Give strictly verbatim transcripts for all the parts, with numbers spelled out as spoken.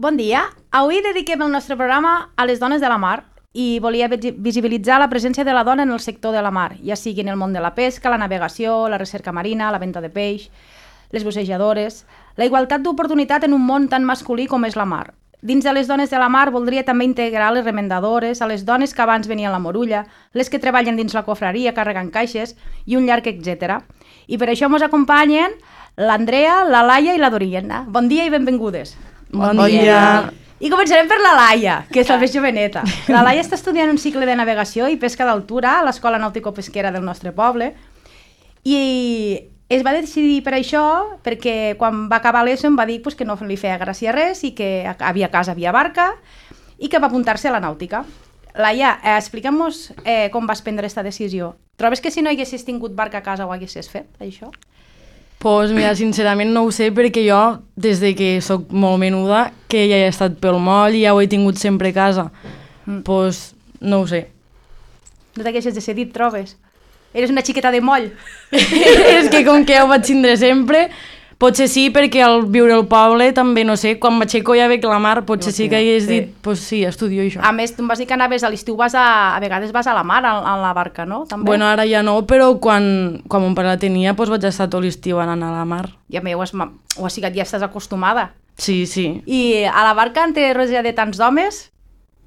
Bon dia. Avui dediquem el nostre programa a les dones de la mar i volia visibilitzar la presència de la dona en el sector de la mar, ja sigui en el món de la pesca, la navegació, la recerca marina, la venda de peix, les bussejadores, la igualtat d'oportunitat en un món tan masculí com és la mar. Dins de les dones de la mar voldria també integrar les remendadores, a les dones que abans venien a la morulla, les que treballen dins la cofreria carregant caixes i un llarg etcètera. I per això ens acompanyen l'Andrea, la Laia i la Doriana. Bon dia i benvingudes. Bon, bon dia. dia. I començarem per la Laia, que és la més joveneta. La Laia està estudiant un cicle de navegació i pesca d'altura a l'Escola Nàutico-Pesquera del nostre poble i es va decidir per això perquè quan va acabar l'ESO em va dir pues, que no li feia gràcia res i que havia casa, havia barca i que va apuntar-se a la nàutica. Laia, eh, explica'm-nos eh, com vas prendre aquesta decisió. Trobes que si no haguessis tingut barca a casa ho haguessis fet, això? Pues mira, sincerament no ho sé perquè jo, des de que sóc molt menuda, que ja he estat pel moll i ja ho he tingut sempre a casa, mm. pues no ho sé. No t'haguessis decidit, trobes? Eres una xiqueta de moll. És que com que ja ho vaig tindre sempre, potser sí, perquè al viure al poble també, no sé, quan m'aixeco ja veig la mar, potser no, sí que hagués sí. dit, pues sí, estudio això. A més, tu em vas dir que anaves a l'estiu, vas a, a vegades vas a la mar, a, a la barca, no? També? Bueno, ara ja no, però quan, quan mon pare la tenia, pues vaig estar tot l'estiu anant a la mar. Ja m'ho has, ho has sigut, ja estàs acostumada. Sí, sí. I a la barca en té rodeja de tants homes,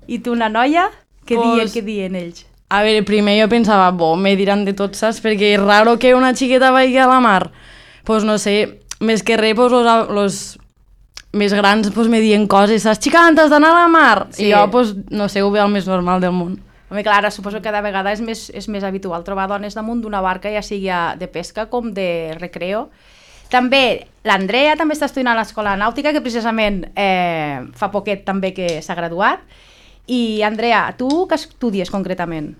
i tu una noia, què pues... dient, què dient ells? A veure, primer jo pensava, bo, me diran de tot, saps? Perquè és raro que una xiqueta vagi a la mar. Pues no sé, més que res, pues, los, los més grans pues, me diuen coses, saps? Xica, t'has d'anar a la mar! Sí. I jo, pues, no sé, ho veig el més normal del món. Home, clar, ara suposo que cada vegada és més, és més habitual trobar dones damunt d'una barca, ja sigui de pesca com de recreo. També l'Andrea també està estudiant a l'Escola Nàutica, que precisament eh, fa poquet també que s'ha graduat. I, Andrea, tu què estudies concretament?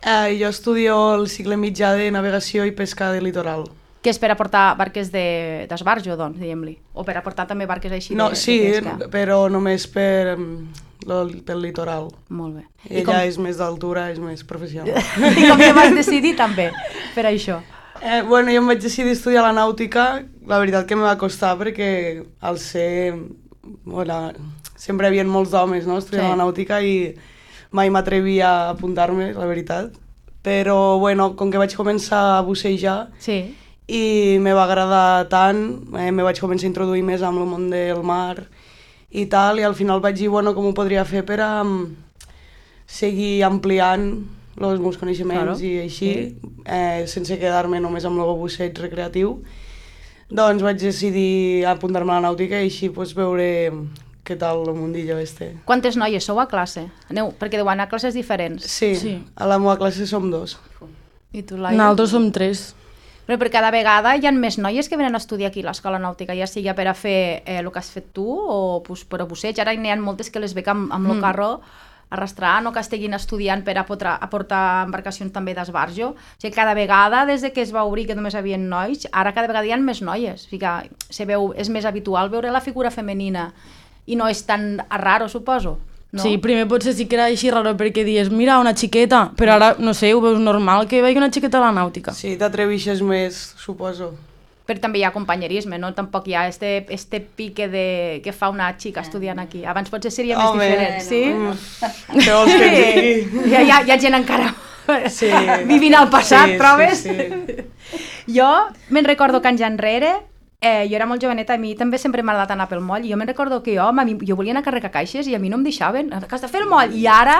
Eh, jo estudio el cicle mitjà de navegació i pesca de litoral. Que és per aportar barques d'esbarjo, de, doncs, diguem-li? O per aportar també barques així no, de, sí, de pesca? Sí, però només per, pel litoral. Molt bé. I ella com... és més d'altura, és més professional. I com que vas decidir també per això? Eh, bueno, jo em vaig decidir estudiar la nàutica, la veritat que em va costar perquè al ser... Bueno, sempre hi havia molts homes, no?, estudiant sí. la nàutica i mai m'atrevia a apuntar-me, la veritat. Però, bueno, com que vaig començar a bussejar sí. i me va agradar tant, eh, me vaig començar a introduir més amb el món del mar i tal, i al final vaig dir, bueno, com ho podria fer per a um, seguir ampliant els meus coneixements claro. I així, sí. eh, sense quedar-me només amb el busseig recreatiu. Doncs vaig decidir apuntar-me a la nàutica i així pues, veure què tal el mundillo este. Quantes noies sou a classe? Aneu, perquè deu anar a classes diferents. Sí, sí, a la meva classe som dos. I tu, Laia? Nosaltres som tres. Però per cada vegada hi ha més noies que venen a estudiar aquí a l'Escola Nàutica, ja sigui per a fer eh, el que has fet tu o pues, per a busseig. Ara n'hi ha moltes que les veig amb, amb mm. el carro arrastrant o que estiguin estudiant per a portar, a portar embarcacions també d'esbarjo. O sigui, cada vegada, des de que es va obrir que només hi havia nois, ara cada vegada hi ha més noies. O sigui, se veu, és més habitual veure la figura femenina i no és tan raro, suposo. No? Sí, primer potser sí que era així raro perquè dius, mira, una xiqueta, però ara, no sé, ho veus normal que vegi una xiqueta a la nàutica. Sí, t'atrevixes més, suposo. Però també hi ha companyerisme, no? Tampoc hi ha este, este pique de, que fa una xica estudiant aquí. Abans potser seria més Home, diferent, sí? No. Què vols que digui? Hi ha, hi, ha, hi ha gent encara sí. vivint al passat, sí, trobes? Sí, sí. Jo me'n recordo que anys enrere, eh, jo era molt joveneta, a mi també sempre m'ha agradat anar pel moll, i jo me'n recordo que jo, mi, jo volia anar a carregar caixes i a mi no em deixaven, que has de fer el moll, i ara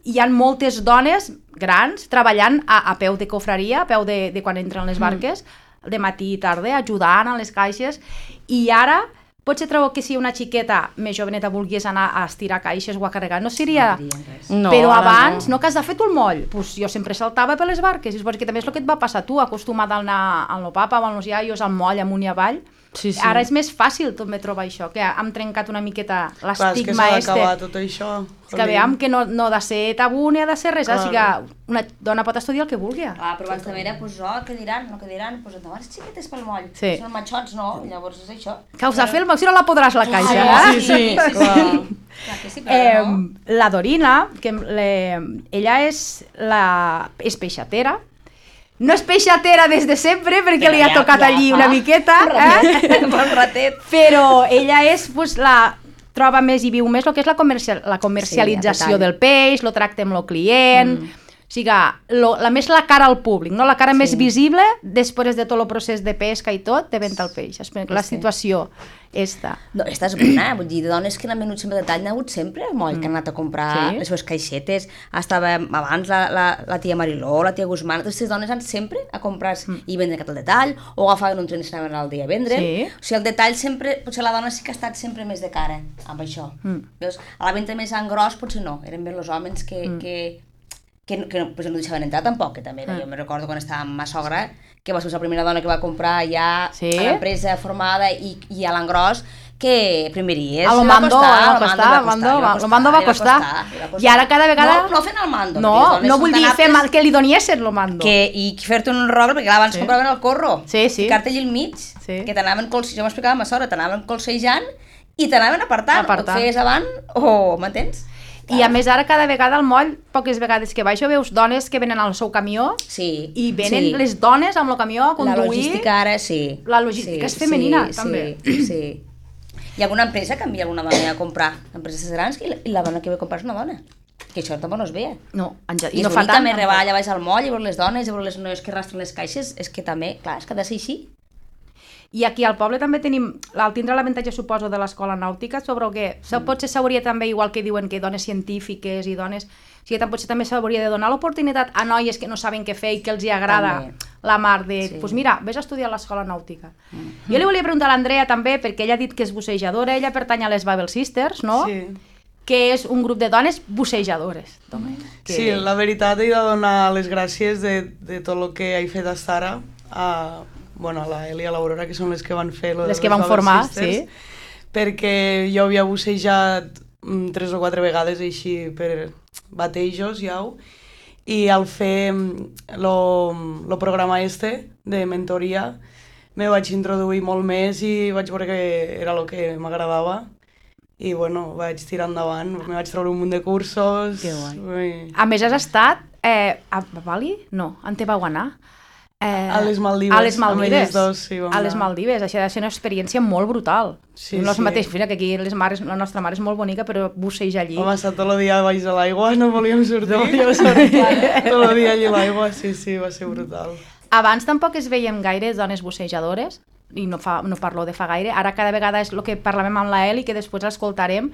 hi ha moltes dones grans treballant a, a peu de cofreria, a peu de, de quan entren les barques, mm. de matí i tarda, ajudant a les caixes, i ara potser trobo que si una xiqueta més joveneta volgués anar a estirar caixes o a carregar, no seria... No, però abans, no, no que has de fer tu el moll, pues jo sempre saltava per les barques, i suposo que també és el que et va passar tu, acostumada a anar al papa o als iaios, al moll, amunt i avall. Sí, sí. Ara és més fàcil també trobar això, que hem trencat una miqueta l'estigma este. Clar, és que s'ha d'acabar tot això. És que veiem que no, no ha de ser tabú ni ha de ser res, o sigui que una dona pot estudiar el que vulgui. Ah, però abans també era, doncs, oh, què diran, no què diran, doncs endavant, les xiquetes pel moll, sí. Són matxots, no? Llavors és això. Que us ha fet el moll, si no la podràs la caixa, ah, eh? Sí, sí, sí, sí, clar. Clar que sí, però eh, no. La Dorina, que le, ella és, la, és peixatera. No és peixatera des de sempre, perquè però li ha ja, tocat ja, allí una ah, miqueta, eh? Un ratet. Però ella és pues, la troba més i viu més el que és la, comercial, la comercialització Sí, del peix, el tracte amb el client, mm. o sigui, lo, la més la cara al públic, no? La cara sí. més visible després de tot el procés de pesca i tot, de venda al peix. La sí. situació esta. No, esta és bona, vull dir, de dones que n'han venut sempre de tall, n'ha hagut sempre moll, mm. que han anat a comprar sí. les seves caixetes. Estava abans la, la, la tia Mariló, la tia Guzmán, totes les dones han sempre a comprar mm. i vendre aquest al detall, o agafaven un tren i s'anaven al dia a vendre. Sí. O sigui, el detall sempre, potser la dona sí que ha estat sempre més de cara amb això. Mm. Veus? A la venda més en gros potser no, eren més els homes que... Mm. que que, que no, pues no deixaven entrar tampoc, que també era. Ah. Jo me recordo quan estava amb ma sogra, que va ser la primera dona que va comprar ja sí? a l'empresa formada i, i a l'engròs, que primeries a lo mando, va costar, a lo mando va costar, lo mando va costar, i ara cada vegada... No, no fent el mando. No, no vull dir fer mal, que li doniessin lo mando. Que, I fer-te un rogle, perquè abans sí. compraven el corro, sí, sí. ficar-te allà al mig, sí. que t'anaven, jo m'explicava a ma sogra, t'anaven colsejant i t'anaven apartant, apartant. O et feies avant o m'entens? I a més ara cada vegada al moll, poques vegades que baixo, veus dones que venen al seu camió sí, i venen sí. les dones amb el camió a conduir. La logística ara sí. La logística sí, és femenina sí, també. Sí, sí. Hi ha alguna empresa que envia alguna dona a comprar, empreses grans, i la, i la dona que ve a comprar és una dona. Que això tampoc no es veia. No, ja, i, I no fa tant. També rebar allà baix al moll i veure les dones i veure les noies que arrastren les caixes, és que també, clar, és que ha de ser així. I aquí al poble també tenim, al tindre l'avantatge, suposo, de l'escola nàutica, sobre el que mm. potser s'hauria també, igual que diuen que dones científiques i dones... O sigui, potser també s'hauria de donar l'oportunitat a noies que no saben què fer i que els hi agrada també. La mar de... Doncs sí. pues mira, vés a estudiar a l'escola nàutica. Mm. Jo li volia preguntar a l'Andrea també, perquè ella ha dit que és bussejadora, ella pertany a les Babel Sisters, no? Sí. Que és un grup de dones bussejadores. Que... Sí, la veritat he de donar les gràcies de, de tot el que he fet fins ara a... bueno, la Eli i l'Aurora, que són les que van fer lo les que van formar, Sisters, sí. Perquè jo havia bussejat mm, tres o quatre vegades així per batejos, ja, i al fer el programa este de mentoria me vaig introduir molt més i vaig veure que era el que m'agradava i bueno, vaig tirar endavant, me vaig treure un munt de cursos. Que guai. I... A més has estat eh, a Bali? No, on te vau anar? Eh, a les Maldives. A les Maldives, dos, sí, a les Maldives. Això ha de ser una experiència molt brutal. Sí, no és sí. mateix, que aquí les mares, la nostra mare és molt bonica, però busseja allí. Home, estar tot el dia baix a l'aigua, no volíem sortir. No volíem sortir. Tot el dia allí a l'aigua, sí, sí, va ser brutal. Abans tampoc es veiem gaire dones bussejadores, i no, fa, no parlo de fa gaire, ara cada vegada és el que parlem amb la Eli, que després l'escoltarem,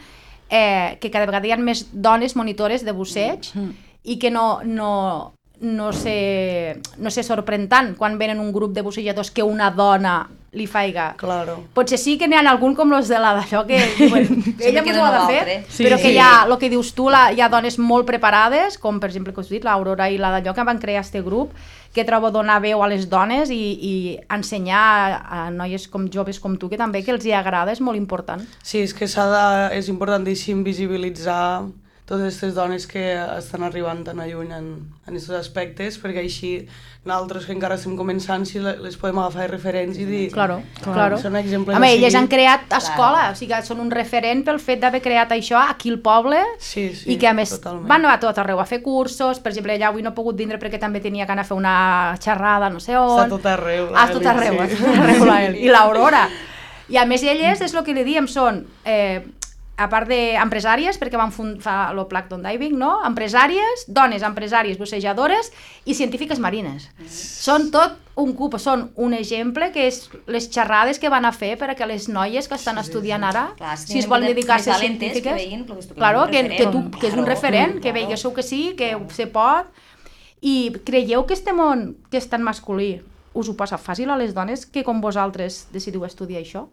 eh, que cada vegada hi ha més dones monitores de busseig mm. i que no... no no se, no se sorprèn tant quan venen un grup de bussejadors que una dona li faiga. Claro. Potser sí que n'hi ha algun com los de la d'això que diuen, ella m'ho ha de fer, sí, però que sí. hi ha, el que dius tu, la, hi ha dones molt preparades, com per exemple, que us dit, l'Aurora i la d'allò que van crear este grup, que trobo donar veu a les dones i, i ensenyar a, a noies com joves com tu, que també que els hi agrada, és molt important. Sí, és que s'ha de, és importantíssim visibilitzar totes aquestes dones que estan arribant tan lluny en, en aquests aspectes, perquè així nosaltres que encara estem començant si les podem agafar de referents i dir... Claro, claro. Són exemples. Home, elles han creat escola, claro. O sigui, són un referent pel fet d'haver creat això aquí al poble sí, sí, i que a més totalment. Van a tot arreu a fer cursos, per exemple, allà avui no he pogut vindre perquè també tenia que anar a fer una xerrada, no sé on... Està tot arreu, la ah, tot arreu, sí. Tot arreu la Eli. I l'Aurora. I a més elles, és el que li diem, són... Eh, a part d'empresàries, perquè van fer el Plankton Diving, no? Empresàries, dones empresàries, bussejadores i científiques marines. Mm. Són tot un cup, són un exemple que és les xerrades que van a fer per a que les noies que estan sí, estudiant ara, clar, si es volen dedicar a ser científiques, que, veien, que, claro, que, que, tu, que és un referent, que veiguéssiu que sí, que se pot. I creieu que este món, que és tan masculí, us ho passa fàcil a les dones que com vosaltres decidiu estudiar això?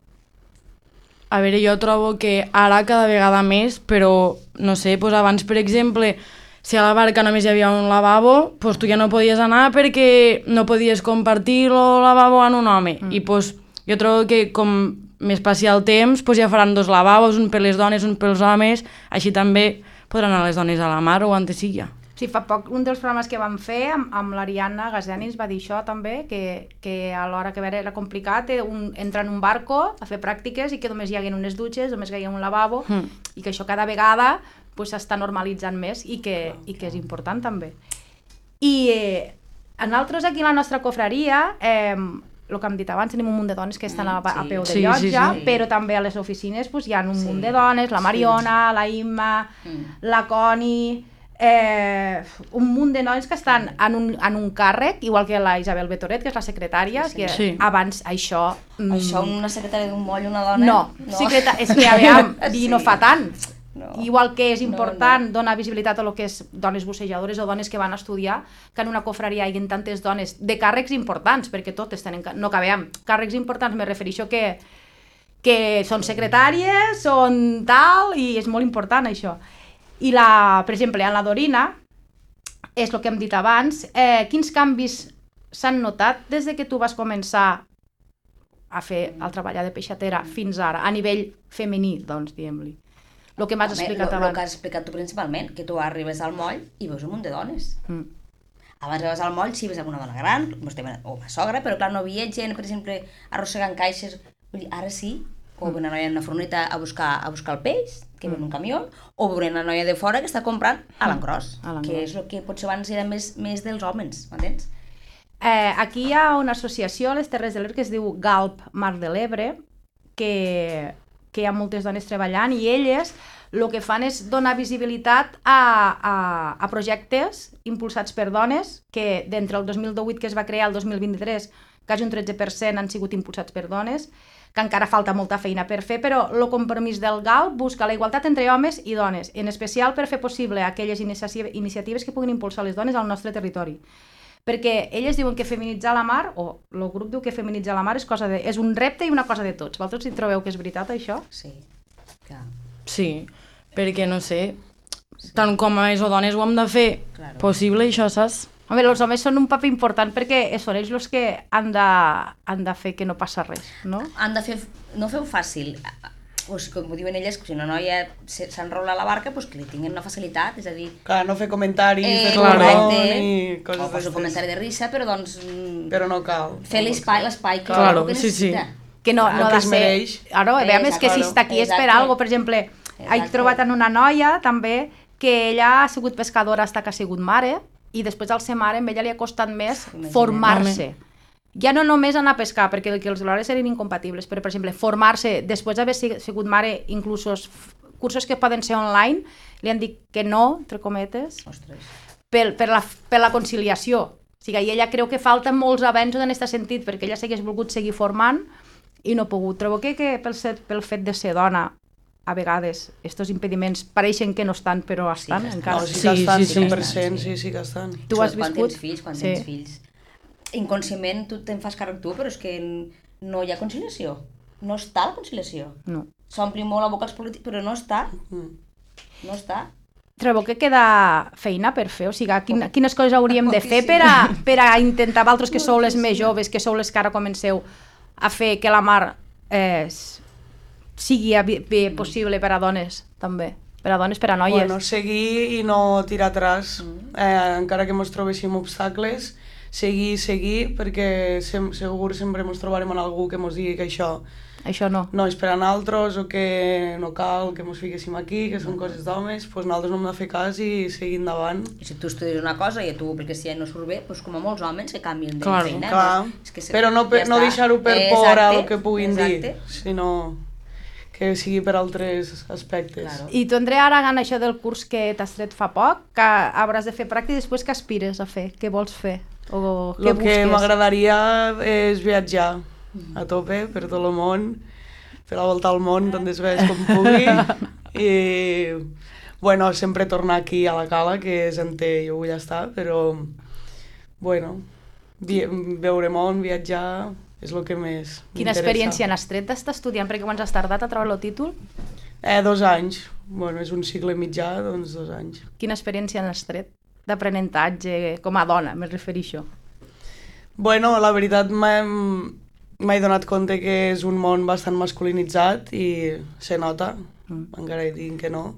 A veure, jo trobo que ara cada vegada més, però, no sé, doncs abans, per exemple, si a la barca només hi havia un lavabo, doncs tu ja no podies anar perquè no podies compartir el lavabo amb un home. Mm. I doncs jo trobo que com més passi el temps, doncs ja faran dos lavabos, un per les dones, un pels homes, així també podran anar les dones a la mar o on sigui. Sí, fa poc un dels programes que vam fer amb, amb l'Ariadna Gazeni ens va dir això també, que, que a l'hora que era complicat un, entrar en un barco a fer pràctiques i que només hi haguin unes dutxes, només hi haguin un lavabo mm. i que això cada vegada s'està pues, normalitzant més i que, i que és important també. I eh, nosaltres aquí a la nostra cofraria, eh, el que hem dit abans, tenim un munt de dones que estan a, a sí. peu de Sí, llotja, sí, sí. però també a les oficines pues, hi ha un Sí. munt de dones, la Mariona, la Imma, Mm. la Connie, eh, un munt de nois que estan en un, en un càrrec, igual que la Isabel Betoret, que és la secretària, Sí, que sí. abans això... mm, Això, una secretària d'un moll, una dona... No, secreta... és que aviam, i no Sí. fa tant. No. Igual que és No, important donar visibilitat a lo que és dones bussejadores o dones que van a estudiar, que en una cofreria hi ha tantes dones de càrrecs importants, perquè totes tenen... ca- No cabem. Càrrecs importants me refereixo que, que són secretàries, són tal, i és molt important això. I, la, per exemple, en la Dorina, és el que hem dit abans, eh, quins canvis s'han notat des de que tu vas començar a fer el treballar de peixatera fins ara, a nivell femení, doncs, diguem-li. El que m'has explicat El abans. que has explicat tu principalment, que tu arribes al moll i veus un munt de dones. Mm. Abans arribes al moll, sí, ves alguna dona gran, o una sogra, però clar, no havia gent, per exemple, arrossegant caixes. Vull dir, ara sí, o una noia en una furgoneta a buscar, a buscar el peix, que ve en un camió, o una noia de fora que està comprant a l'engròs, A l'engròs. que és el que potser abans era més, més dels homes, m'entens? Eh, aquí hi ha una associació a les Terres de l'Ebre que es diu Galp Mar de l'Ebre, que, que hi ha moltes dones treballant, i elles el que fan és donar visibilitat a, a, a projectes impulsats per dones, que d'entre el dos mil divuit que es va crear al dos mil vint-i-tres, quasi un tretze per cent han sigut impulsats per dones, que encara falta molta feina per fer, però el compromís del GALP busca la igualtat entre homes i dones, en especial per fer possible aquelles inici- iniciatives que puguin impulsar les dones al nostre territori. Perquè elles diuen que feminitzar la mar, o el grup diu que feminitzar la mar és, cosa de, és un repte i una cosa de tots. Vosaltres hi trobeu que és veritat, això? Sí, clar. Sí, perquè no sé, tant com a o dones ho hem de fer Claro. possible, això, saps? Home, els homes són un paper important perquè són ells els que han de, han de fer que no passa res, no? Han de fer, no feu fàcil, o sigui, com ho diuen elles, que si una noia se- s'enrola a la barca, doncs que li tinguin una facilitat, és a dir, Clar, no fer comentaris Eh, de claro. correcte, ni o coses poso un d'estes. comentari de risa, però doncs mm, Però no cal. fer l'espai, l'espai que, Claro, que sí, sí. necessita. Que no, El no ha que de es ser... mereix. Ara, veiem, és que si Exacte. està aquí és per Exacte. algo. Per exemple, he Exacte. trobat en una noia, també, que ella ha sigut pescadora fins que ha sigut mare, i després al ser mare, a ella li ha costat més Imagina't. formar-se. Ja no només anar a pescar, perquè que els horàries serien incompatibles, però, per exemple, formar-se després d'haver sig- sigut mare, inclús cursos que poden ser online, li han dit que no, entre cometes, Ostres. per, per, la, per la conciliació. O sigui, i ella creu que falten molts avenços en aquest sentit, perquè ella s'hagués volgut seguir formant i no ha pogut. Trobo que, que pel, set, pel fet de ser dona, a vegades, aquests impediments pareixen que no estan, però estan, que estan. encara. No, sí Sí, que estan, sí, sí. cent per cent, sí, sí que estan. Tu has Sobretot quan viscut? tens fills, quan Sí. tens fills. Inconscientment tu te'n fas càrrec tu, però és que no hi ha conciliació. No està la conciliació. No. S'ompli molt la boca als polítics, però no està. Mm. No està. Trobo que queda feina per fer, o sigui, quin, quines coses hauríem de fer per a, per a intentar, vosaltres que sou les més joves, que sou les que ara comenceu a fer que la mar eh, s- sigui a- bé possible per a dones, també, per a dones, per a noies. Bueno, seguir i no tirar atrás, eh, encara que ens trobéssim obstacles, seguir, seguir, perquè sem segur sempre ens trobarem en algú que ens digui que això Això no. no és per a nosaltres o que no cal que ens fiquéssim aquí, que són coses d'homes, doncs nosaltres no hem de fer cas i seguir endavant. I si tu estudies una cosa i a tu ho apliques si ja no surt bé, doncs com a molts homes que canvien de Claro, feina. Clar, doncs és que se- però no, per, ja no està. deixar-ho per Eh, por a exacte, el que puguin exacte. dir, sinó que sigui per altres aspectes. Claro. I tu, Andrea, ara en això del curs que t'has tret fa poc, que hauràs de fer pràctica i després què aspires a fer? Què vols fer? O què El que busques? m'agradaria és viatjar a tope per tot el món, fer la volta al món tantes vegades com pugui i bueno, sempre tornar aquí a la cala, que és on té, jo vull estar, però bueno, vi veure món, viatjar, és el que més Quina m'interessa. experiència n'has tret d'estar estudiant? Perquè quan has tardat a treure el títol? Eh, dos anys. Bueno, és un cicle mitjà, doncs dos anys. Quina experiència n'has tret d'aprenentatge com a dona, me refereixo? Bueno, la veritat m'he donat compte que és un món bastant masculinitzat i se nota, mm. encara que diguin que no,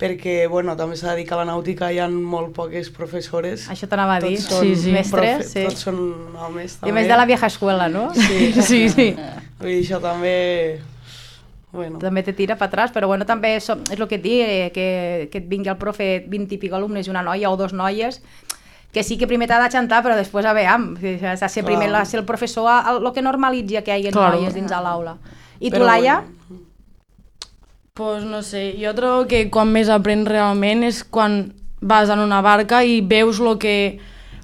perquè bueno, també s'ha de dir que a la nàutica hi ha molt poques professores. Això t'anava a dir. Tots són Sí, sí. Mestres, sí. Tots són homes, I també. a més de la vieja escuela, no? Sí, Sí, sí. Vull dir, això també... Bueno, També te tira per atràs, però bueno, també és, és el que et dic, eh, que, que et vingui el profe vint i pico alumnes i una noia o dos noies, que sí que primer t'ha de xantar, però després a veure, s'ha de ser primer la, ser el professor el que normalitzi que hi hagi Claro. noies dins de l'aula. I tu, Però Laia? bueno. Pues no sé, jo trobo que quan més aprens realment és quan vas en una barca i veus lo que,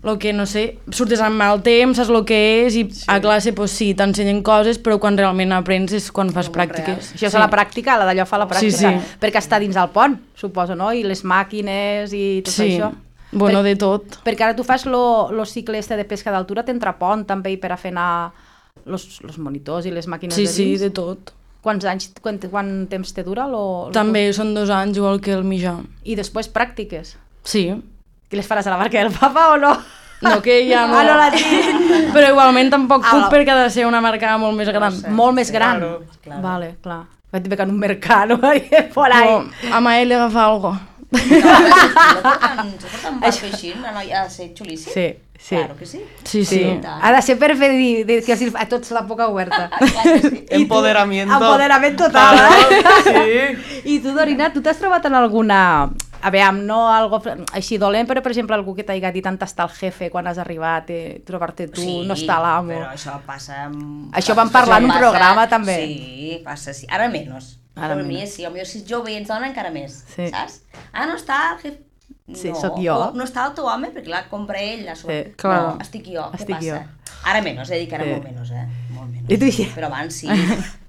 lo que no sé, surtes amb el temps, saps el que és i sí. a classe pues sí, t'ensenyen coses, però quan realment aprens és quan fas pràctiques. Això és sí. la pràctica, la d'allò fa la pràctica, Sí, sí. perquè està dins del pont, suposo, no? I les màquines i tot Sí, això. bueno, per, de tot. Perquè ara tu fas lo, lo cicle este de pesca d'altura, t'entra pont també per a fer anar los, los monitors i les màquines Sí, de sí, dins. de tot. Quants anys, quant, quant temps te dura? Lo, lo També són dos anys igual que el mitjà. I després pràctiques. Sí. I les faràs a la barca del papa o no? No, que ja no... Ah, no la tinc. Però igualment tampoc Ah, puc no. perquè ha de ser una marca molt més gran. Molt més gran. Claro. Claro. Vale, clar. Vaig dir que en un mercado, por ahí. Però a Mael li agafa algo. No, se porten, se porten barco així, una noia ha de ser xulíssim. Sí, sí. Claro que sí. Sí, sí. Sí. Ha de ser per fer dir, dir que a tots la boca oberta. Clar que sí. Empoderamiento. Empoderament total, eh? Sí. I tu, Dorina, tu t'has trobat en alguna... A veure, no algo així dolent, però, per exemple, algú que t'hagi dit on està el jefe quan has arribat, eh, trobar-te tu, Sí, no està l'amo. però això passa... Amb... Això vam parlar en un passa- programa, també. Sí, passa, sí. Ara menys. Ara Ara per mi menys. sí, potser si ets jove i ets dona encara més, Sí. saps? Ah, no està el jefe... Sí, no. sóc jo. O no està el teu home, perquè clar, compra ell la sua... Sí, clar. No, estic jo, Estic què passa? jo. Ara menys, he dit que ara Sí. molt menys, eh? Molt menys. I tu ja- Però abans sí.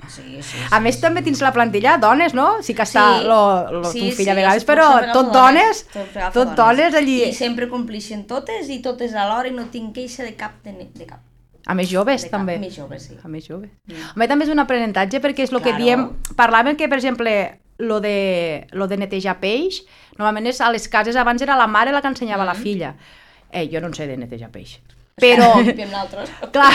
Sí, sí, sí. A més, també tens la plantilla dones, no? Sí que està Sí. lo, lo, Sí, ton fill sí, a vegades, els però pucs agafar tot dones, Tot, agafa tot dones allí. I sempre complixen totes i totes alhora i no tinc queixa de cap de, de cap. A més joves, De cap, també. més joves, sí. A més joves. Mm. Home, també és un aprenentatge perquè és el que Claro. diem... Parlàvem que, per exemple, lo de, lo de netejar peix, normalment és a les cases abans era la mare la que ensenyava a la filla. Eh, jo no en sé de netejar peix. Però, Limpiem nosaltres. clar,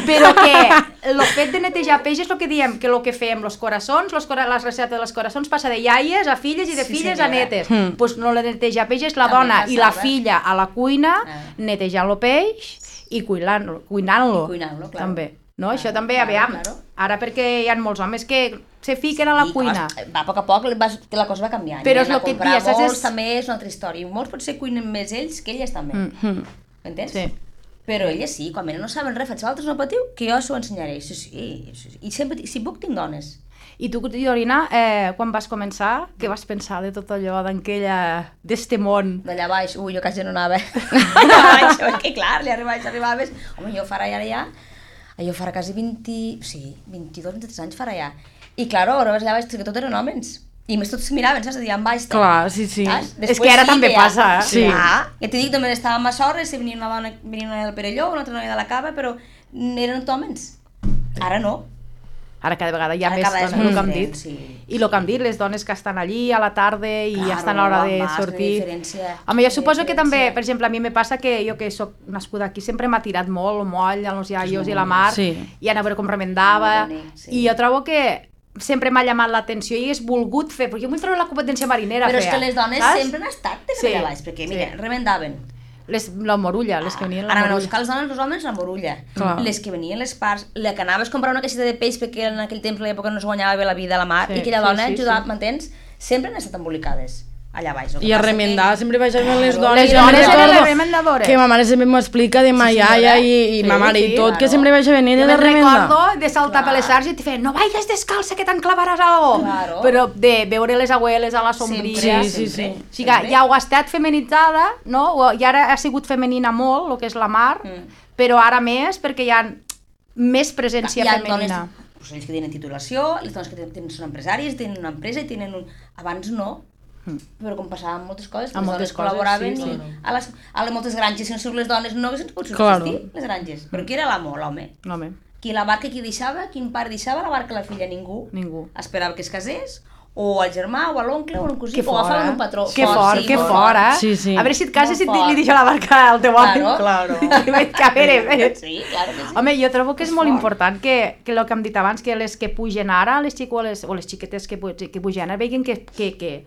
però que el fet de netejar peix és el que diem, que el que fem, los coraçons, los cora les receptes dels coraçons passa de iaies a filles i de Sí, filles senyora. a netes. Doncs pues no la netejar peix és la També dona i la passava. filla a la cuina Ah. netejant el peix i cuinant-lo. Cuinant-lo. I cuinant-lo, clar. També. No? Claro, Això també, claro, aviam, claro. ara perquè hi ha molts homes que se fiquen a la I, cuina. os- Va a poc a poc, vas, que la cosa va canviant. Però I és anar lo que a et comprar dia, saps? molts És- també és una altra història. I molts potser cuinen més ells que elles també. Mm. Mm. M'entens? Sí. Però elles sí, quan no saben res, faig altres no patiu, que jo s'ho ensenyaré. Sí, sí, sí. I sempre, si puc, tinc dones. I tu, Dorina, eh, quan vas començar, què vas pensar de tot allò, d'aquella, d'este món? D'allà baix, ui, jo quasi no anava. Allà baix, perquè clar, allà baix arribaves... Home, jo farà ara ja... Jo farà quasi vint... Sí, vint-i-dos, vint-i-tres anys farà ja. I clar, ara allà baix, que tot eren homes. I més tots miraven, saps? A dir, en baix... Clar, sí, sí. Saps? És que ara també que ja- passa, eh? Sí. Clar, ja t'he dit, només estàvem a sorres, si venia una dona, venia una del Perelló, una altra noia de la Cava, però eren homes. Ara no. Ara cada vegada hi ha Ara més cada vegada és dones, el molt que hem diferent, dit. sí. I el que hem dit, les dones que estan allí a la tarda i ja Claro, estan a l'hora de vas, sortir. la diferència, Home, jo la suposo que també, diferència. per exemple, a mi me passa que jo que sóc nascuda aquí sempre m'ha tirat molt el moll, els iaios i la mar, Sí. i anar a veure com remendava, Molt bonic, sí. i jo trobo que sempre m'ha llamat l'atenció i hagués volgut fer, perquè jo vull treure la competència marinera. Però és feia, que les dones saps? sempre han estat de Sí, allà baix, perquè mira, sí. remendaven. Les, la morulla, les que venien la Anaven a morulla. buscar les dones, els homes, la morulla. Clar. Les que venien les parts, la que anaves a comprar una caixeta de peix perquè en aquell temps, a l'època, no es guanyava bé la vida a la mar, Sí, i aquella sí, dona sí, ajudava, sí. m'entens? Sempre han estat embolicades allà baix. El que I a passa remendar, que- sempre baixaven les Claro. dones. Les Jo dones me'n eren recordo les remendadores. Que ma mare sempre m'ho explica de ma Sí, iaia senyora. i, i Sí, ma mare i sí, tot, que claro. sempre baixaven Jo ella de me'n remendar. recordo de saltar Clar. per les arts i te feien no vayas descalça que t'enclavaràs algo. Claro. Però de veure les abueles a la sombrilla. Sempre, Sí, sí, sí. sempre, O sigui que sempre. ja ho ha estat feminitzada, no? O- I ara ha sigut femenina molt, el que és la mar, Mm. però ara més perquè hi ha més presència Hi ha femenina. dones, doncs ells que tenen titulació, les dones que tenen, són empresàries, tenen una empresa i tenen un... Abans no, però com passaven moltes coses, que Amb les moltes dones col·laboraven coses, sí, i sí. a les, a les moltes granges, si no són les dones, no haguessin pogut Claro. subsistir, les granges. Però qui era l'amo, l'home? No, home, Qui la barca qui deixava, quin pare deixava la barca a la filla? Ningú. ningú. Esperava que es casés, o al germà, o a l'oncle, o a un cosí, Que o agafaven fora, un patró. que fort, sí, que molt fort, eh? Sí, sí. A veure si et cases Molt i li fort. deixa la barca al teu home. Claro. Claro. Que veig que a veure, a veure. Sí, claro que sí. Home, jo trobo que és, És molt fort. important que, que el que hem dit abans, que les que pugen ara, les xic, o, les, o les xiquetes que, pu- que pugen ara, veguin que, que, que,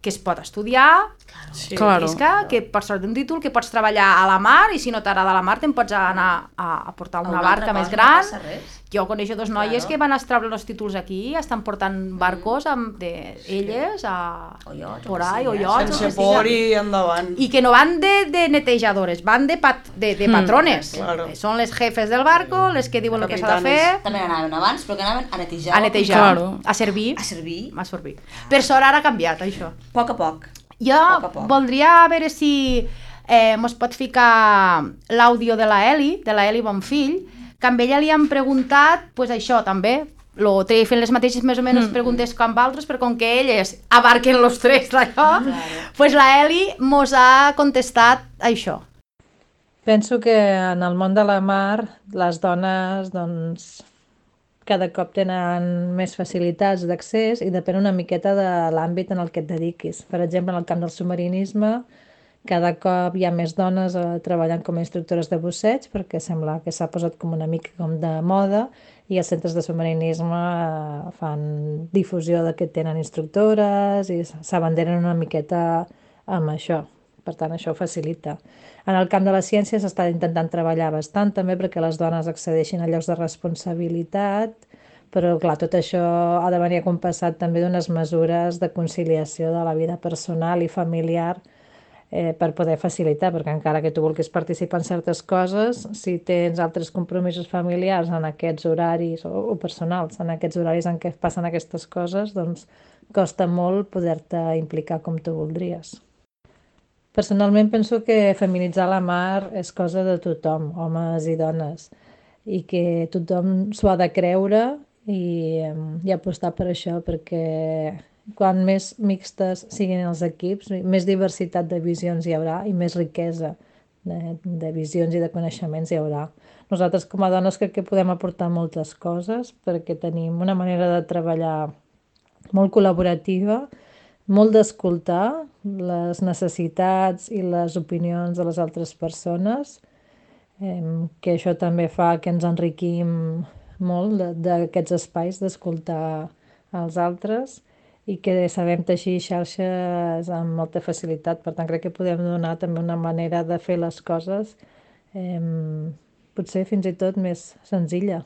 que es pot estudiar, Sí. Claro. és que, que pots sortir un títol, que pots treballar a la mar, i si no t'agrada la mar te'n pots anar a, a portar una A una barca altra més cosa, gran, no passa res. jo coneixo dos noies Claro. que van a treure els títols aquí i estan portant barcos amb de elles a... O iots, o por que ahí, o sigui, eh? iots, o Sense que por sigui. i endavant. I que no van de, de netejadores, van de, pat, de, de patrones. Claro. Són les jefes del barco, les que diuen el que s'ha de fer, També anaven abans, però que anaven a netejar. a netejar, Claro. a servir. A servir. A servir. Per sort ara ha canviat, això. A poc a poc. Jo Poc a poc. voldria veure si eh, mos pot ficar l'àudio de la Eli, de la Eli Bonfill, que amb ella li han preguntat, pues això també, lo treia fent les mateixes més o menys mm. preguntes com altres, però com que elles abarquen los tres d'allò, claro. pues la Eli mos ha contestat això. Penso que en el món de la mar les dones doncs, cada cop tenen més facilitats d'accés i depèn una miqueta de l'àmbit en el que et dediquis. Per exemple, en el camp del submarinisme, cada cop hi ha més dones eh, treballant com a instructores de busseig perquè sembla que s'ha posat com una mica com de moda i els centres de submarinisme eh, fan difusió de que tenen instructores i s'abanderen una miqueta amb això. Per tant, això ho facilita. En el camp de la ciència s'està intentant treballar bastant també perquè les dones accedeixin a llocs de responsabilitat, però clar, tot això ha de venir acompassat també d'unes mesures de conciliació de la vida personal i familiar eh, per poder facilitar, perquè encara que tu vulguis participar en certes coses, si tens altres compromisos familiars en aquests horaris o, o personals, en aquests horaris en què passen aquestes coses, doncs costa molt poder-te implicar com tu voldries. Personalment penso que feminitzar la mar és cosa de tothom, homes i dones, i que tothom s'ho ha de creure i, i apostar per això, perquè quan més mixtes siguin els equips, més diversitat de visions hi haurà i més riquesa de, de visions i de coneixements hi haurà. Nosaltres com a dones crec que podem aportar moltes coses perquè tenim una manera de treballar molt col·laborativa, molt d'escoltar les necessitats i les opinions de les altres persones, eh, que això també fa que ens enriquim molt d'aquests espais d'escoltar els altres i que sabem teixir xarxes amb molta facilitat. Per tant, crec que podem donar també una manera de fer les coses eh, potser fins i tot més senzilla.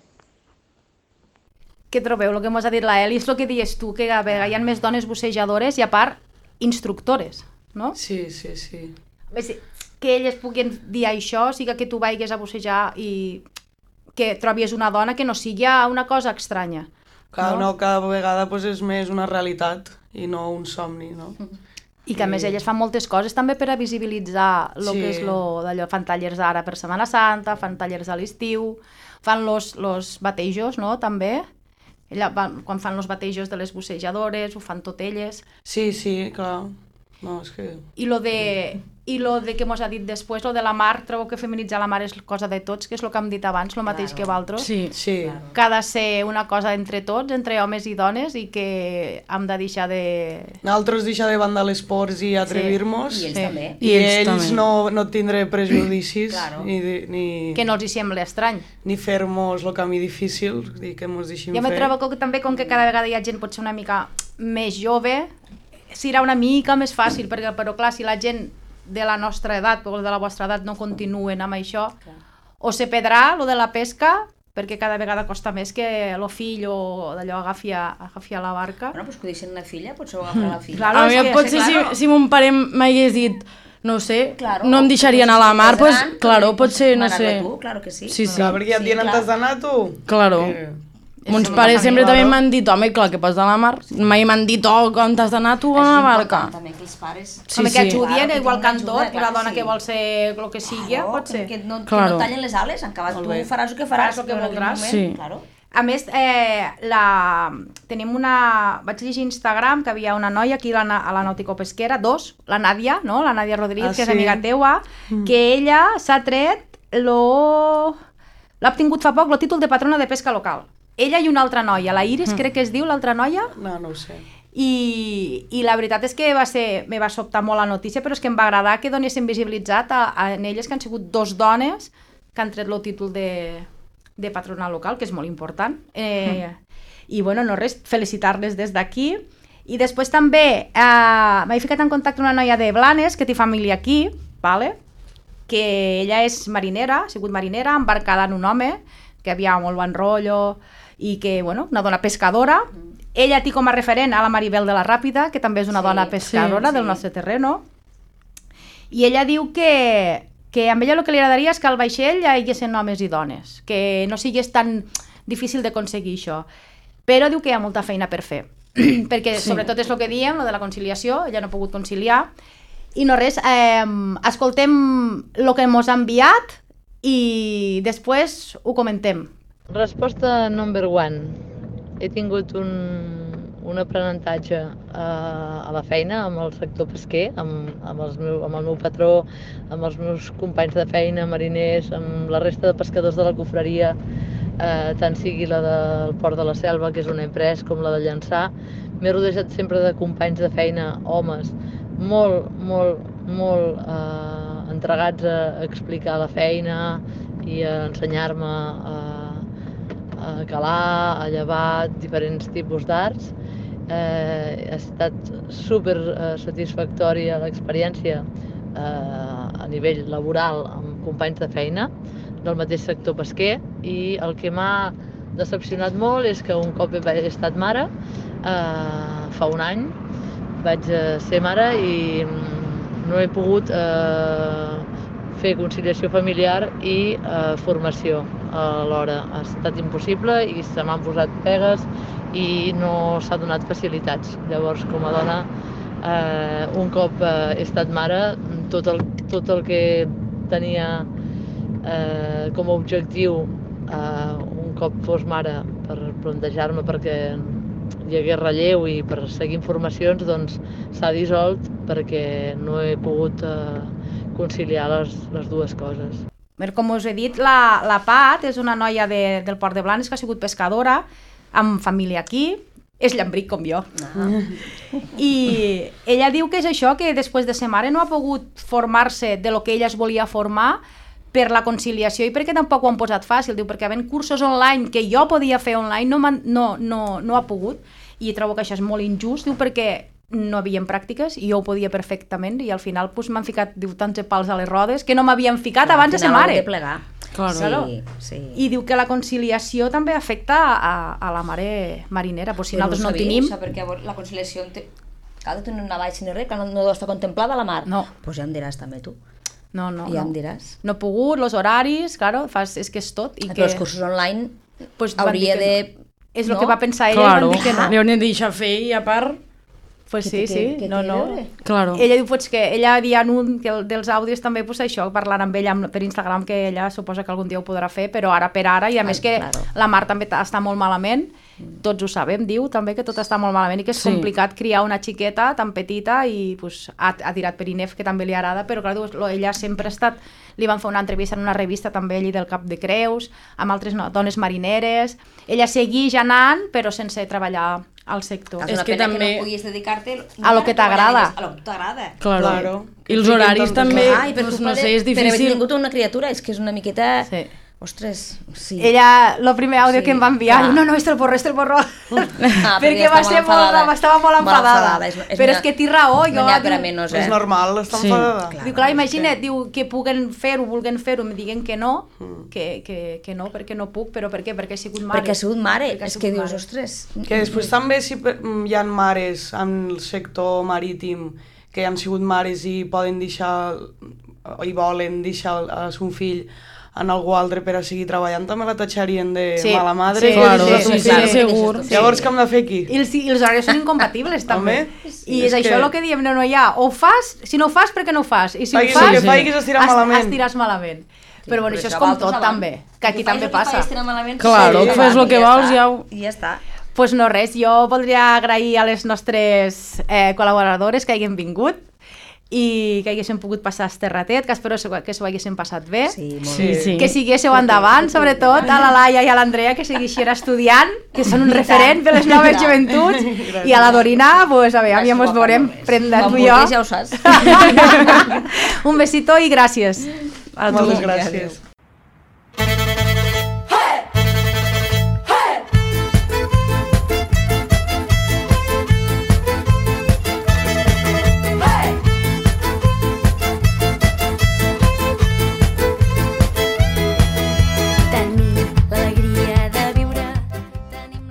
Què trobeu? El que mos ha dit la Eli és el que dius tu, que a vegades hi ha més dones bussejadores i a part instructores, no? Sí, sí, sí. A veure, que elles puguin dir això, siga que tu vagis a bussejar i que trobis una dona que no sigui una cosa estranya. Cada, no? no, cada vegada pues, és més una realitat i no un somni, no? I que a més elles fan moltes coses també per a visibilitzar el Sí. que és lo d'allò, fan tallers ara per Setmana Santa, fan tallers a l'estiu, fan los, los batejos, no?, també. Ella, van, quan fan els batejos de les bussejadores, ho fan tot elles. Sí, sí, clar. No, és que... I lo de, i lo de que mos ha dit després, lo de la mar, trobo que feminitzar la mar és cosa de tots, que és el que hem dit abans, el mateix Claro. que vosaltres. Sí. Sí. Que ha de ser una cosa entre tots, entre homes i dones, i que hem de deixar de... Nosaltres deixar de banda les pors i atrevir-nos. I ells Sí. també. I, I ells ells, també. no, no tindre prejudicis Claro. ni, de- ni, que no els hi sembli estrany. ni fer-nos el camí difícil i que ens deixin Jo me fer. trobo que també, com que cada vegada hi ha gent potser una mica més jove, serà una mica més fàcil, perquè, però clar, si la gent de la nostra edat o de la vostra edat no continuen amb això, Clar. o se perdrà lo de la pesca, perquè cada vegada costa més que el fill o d'allò agafi a, agafi a la barca. Bueno, doncs que ho deixen una filla, potser ho agafarà la filla. Claro, A és mi que- potser sí, claro. si, si mon pare m'hagués dit, no ho sé, Claro, no em deixaria anar a la mar, pues, gran, claro, doncs, potser, no m'agrada sé. Tu, claro que sí. Sí, sí. Clar, perquè ja et Sí, diuen on clar. t'has d'anar tu. Claro. Que- Mons una pares sempre família, també no? m'han dit, home, clar, que pots anar a la mar. Mai m'han dit, oh, on t'has d'anar tu a És la important barca. també que els pares... Sí, Home, que sí. ajudien, Claro, que igual que en tinguin tot, ajuda, una clar, dona sí. que vol ser el que sigui, Claro, pot ser. Que no, Claro. que no tallen les ales, en acabat Molt tu bé. faràs el que Faràs faràs. el que però en aquell voldràs. moment, Sí. Claro. A més, eh, la... tenim una... Vaig llegir a Instagram que havia una noia aquí a la, a la Nàutico Pesquera, dos, la Nàdia, no? La Nàdia Rodríguez, Ah, que és sí? amiga teua, que ella s'ha tret lo... l'ha obtingut fa poc el títol de patrona de pesca local. Ella i una altra noia, la Iris, crec que es diu, l'altra noia, No, no ho sé. i, i la veritat és que va ser, me va sobtar molt la notícia, però és que em va agradar que donessin visibilitzat a, a en elles que han sigut dos dones que han tret el títol de, de patrona local, que és molt important. Eh, I bueno, no res, felicitar-les des d'aquí. I després també eh, m'he ficat en contacte amb una noia de Blanes, que té família aquí, vale? Que ella és marinera, ha sigut marinera, embarcada en un home, que havia molt bon rotllo, i que, bueno, una dona pescadora. Ella té com a referent a la Maribel de la Ràpida, que també és una Sí, dona pescadora sí, del sí. nostre terreno. I ella diu que, que a ella el que li agradaria és que al vaixell hi haguessin homes i dones, que no sigués tan difícil d'aconseguir això. Però diu que hi ha molta feina per fer, perquè sí. sobretot és el que diem, lo de la conciliació, ella no ha pogut conciliar. I no res, eh, escoltem el que ens ha enviat i després ho comentem. Resposta number one. He tingut un, un aprenentatge a, a la feina amb el sector pesquer, amb, amb, els meu, amb el meu patró, amb els meus companys de feina, mariners, amb la resta de pescadors de la cofreria, eh, tant sigui la del Port de la Selva, que és una empresa, com la de Llançà. M'he rodejat sempre de companys de feina, homes, molt, molt, molt eh, entregats a explicar la feina i a ensenyar-me a, a calar, a llevar diferents tipus d'arts. Eh, ha estat super eh, satisfactòria l'experiència eh, a nivell laboral amb companys de feina del mateix sector pesquer, i el que m'ha decepcionat molt és que un cop he estat mare, eh, fa un any, vaig ser mare i no he pogut eh, fer conciliació familiar i eh, formació alhora. Ha estat impossible i se m'han posat pegues i no s'ha donat facilitats. Llavors, com a dona, eh, un cop eh, he estat mare, tot el, tot el que tenia eh, com a objectiu eh, un cop fos mare per plantejar-me perquè hi hagués relleu i per seguir informacions, doncs s'ha dissolt perquè no he pogut eh, conciliar les, les dues coses. Com us he dit, la, la Pat és una noia de, del Port de Blanes que ha sigut pescadora, amb família aquí, és llambric com jo. Ah. I ella diu que és això, que després de ser mare no ha pogut formar-se de lo que ella es volia formar per la conciliació i perquè tampoc ho han posat fàcil, diu, perquè havent cursos online que jo podia fer online no, no, no, no ha pogut, i trobo que això és molt injust, diu, perquè no havien pràctiques i jo ho podia perfectament i al final pues, m'han ficat, diu, tants de pals a les rodes que no m'havien ficat Clar, abans de ser mare. De plegar. Claro. Sí, sí. I diu que la conciliació també afecta a, a la mare marinera, pues, si Però nosaltres no, no ho tenim... perquè la conciliació té... Cal de tenir una baixa ni res, que no, no deu estar contemplada a la mar. No. Pues ja em diràs també tu. No, no, ja no. em diràs. No he pogut, els horaris, claro, fas, és que és tot. I Però que... els cursos online pues, van dir hauria que de... No. És el no? que va pensar ella Claro, i van dir que no. li hauríem de deixar fer i a part... Pues Que sí, té- sí, que no, té no. a veure? Claro. Ella diu pues, que ella havia un que el, dels àudios també pues, això, parlant amb ella amb, per Instagram, que ella suposa que algun dia ho podrà fer, però ara per ara, i a Ai, més que claro. la Mar també ta- està molt malament, tots ho sabem, diu també que tot està molt malament i que és Sí. complicat criar una xiqueta tan petita i pues, ha, ha tirat per Inef, que també li agrada, però clar, diu, lo- ella sempre ha estat, li van fer una entrevista en una revista també allí del Cap de Creus, amb altres no, dones marineres, ella segueix anant però sense treballar al sector. És És una que pena també- que no puguis dedicar-te A lo que t'agrada. A lo que t'agrada. Claro. Claro. I els Que horaris siguin també, tantes Ai, per doncs, culpa no sé, de- és Per haver difícil. tingut una criatura, és que és una miqueta... Sí. Ostres, sí. Ella, el primer àudio Sí, que em va enviar, clar. diu, no, no, este el borro, este el borro, Ah, perquè va estava ser molt, enfadada. brava, estava molt Molt enfadada, enfadada, és- és però una- és que té raó, jo, No n'hi ha per a diu, menys, eh? És normal, està Sí. enfadada. Clar. diu, clar, és imagina't, que- diu, que puguen fer-ho, vulguen fer-ho, em diguen que no, que, que, que no, perquè no puc, però per què? Perquè he sigut mare. Perquè ha sigut mare, Perquè ha és sigut que dius, mare. ostres... Que després també si per- hi ha mares en el sector marítim que han sigut mares i poden deixar, i volen deixar a son fill en algú altre per a seguir treballant, també la tatxarien de Sí, mala madre. sí, que claro, deixes a sí, ton sí, fill. segur. Llavors, què hem de fer aquí? I els, i els horaris són incompatibles, també. Home, I és és això que- el que diem, no, no hi ha, o ho fas, si no ho fas, per què no ho fas? I si Faiguis ho fas, el que faiguis, estiràs malament. estiràs malament. Però bueno, però això és això com va tot, tot també, que aquí també passa. Claro, Sí, que fes el que vols i ja ho... I ja està. Pues no res, jo voldria agrair a les nostres eh, col·laboradores que hagin vingut i que haguéssim pogut passar este ratet, que espero que s'ho haguéssim passat bé. Sí, molt Sí, bé. sí. Que siguéssiu endavant, sobretot a la Laia i a l'Andrea, que segueixin estudiant, que són un referent per les noves joventuts, i a la Dorina, pues, a veure, ja ens veurem prendre tu i jo. Ja ho saps. Un besito i gràcies. A tu. Moltes gràcies.